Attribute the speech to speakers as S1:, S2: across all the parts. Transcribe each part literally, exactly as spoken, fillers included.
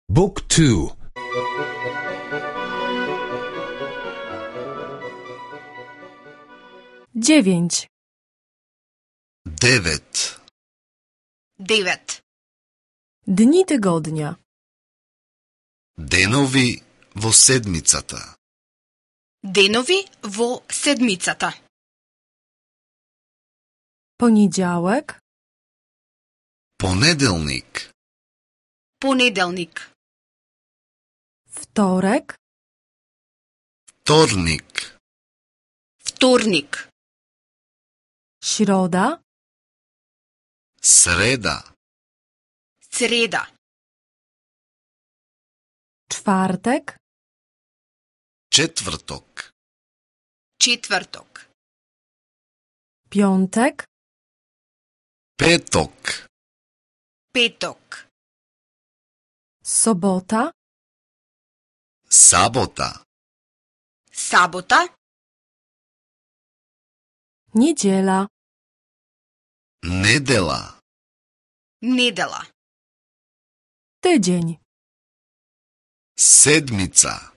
S1: Book two.
S2: Dziewięć.
S3: Девет.
S4: Девет.
S2: Dni tygodnia.
S3: Денови во седмицата.
S4: Денови во седмицата.
S2: Poniedziałek,
S3: Понеделник.
S4: Понеделник.
S2: wtorek,
S3: Вторник.
S4: Вторник.
S2: środa,
S3: Среда.
S4: Среда.
S2: czwartek,
S3: Четврток.
S4: Четврток.
S2: piątek,
S3: Петок.
S4: Петок.
S2: sobota,
S3: Сабота.
S4: Сабота.
S2: niedziela,
S3: Недела.
S4: Недела.
S2: tydzień,
S3: Седмица.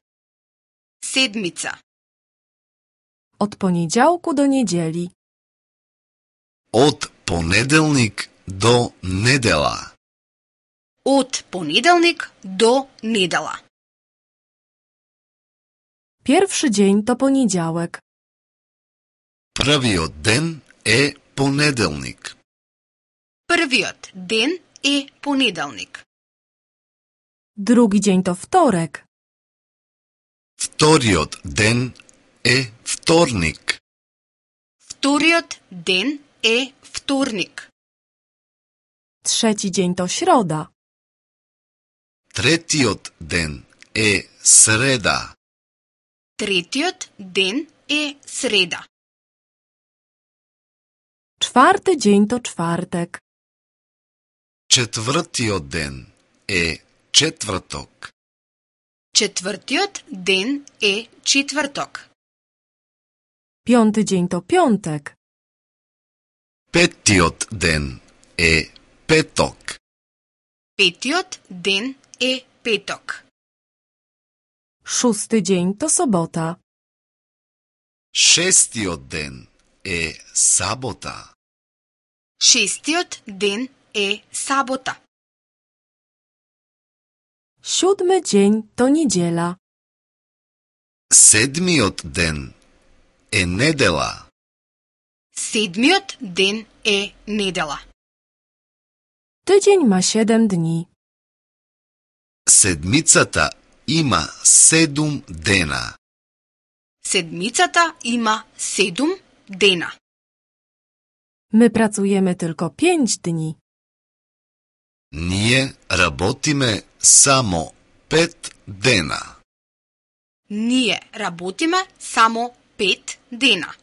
S4: Седмица.
S2: od poniedziałku do niedzieli,
S3: Од понеделник до недела.
S4: Од понеделник до недела.
S2: pierwszy dzień to poniedziałek,
S3: Првиот ден е понеделник.
S4: Првиот ден е понеделник.
S2: drugi dzień to wtorek,
S3: Вториот ден е вторник.
S4: Вториот ден е вторник.
S2: trzeci dzień to środa,
S3: Третиот ден е среда.
S4: Третиот ден е среда.
S2: czwarty dzień to czwartek,
S3: Четвртиот ден е четврток.
S4: Четвртиот ден е четврток.
S2: piąty dzień to piątek,
S3: Петтиот ден е петок.
S4: Петиот ден е петок.
S2: szósty dzień to sobota,
S3: Шестиот ден е сабота.
S4: Шестиот ден е сабота.
S2: siódmy dzień to niedziela,
S3: Седмиот ден е недела.
S4: Седмиот ден е недела.
S2: tydzień ma siedem dni,
S3: Седмицата има седум дена.
S4: Седмицата има седум дена.
S2: my pracujemy tylko pięć dni.
S3: Ние работиме само пет дена.
S4: Ние работиме само пет дена.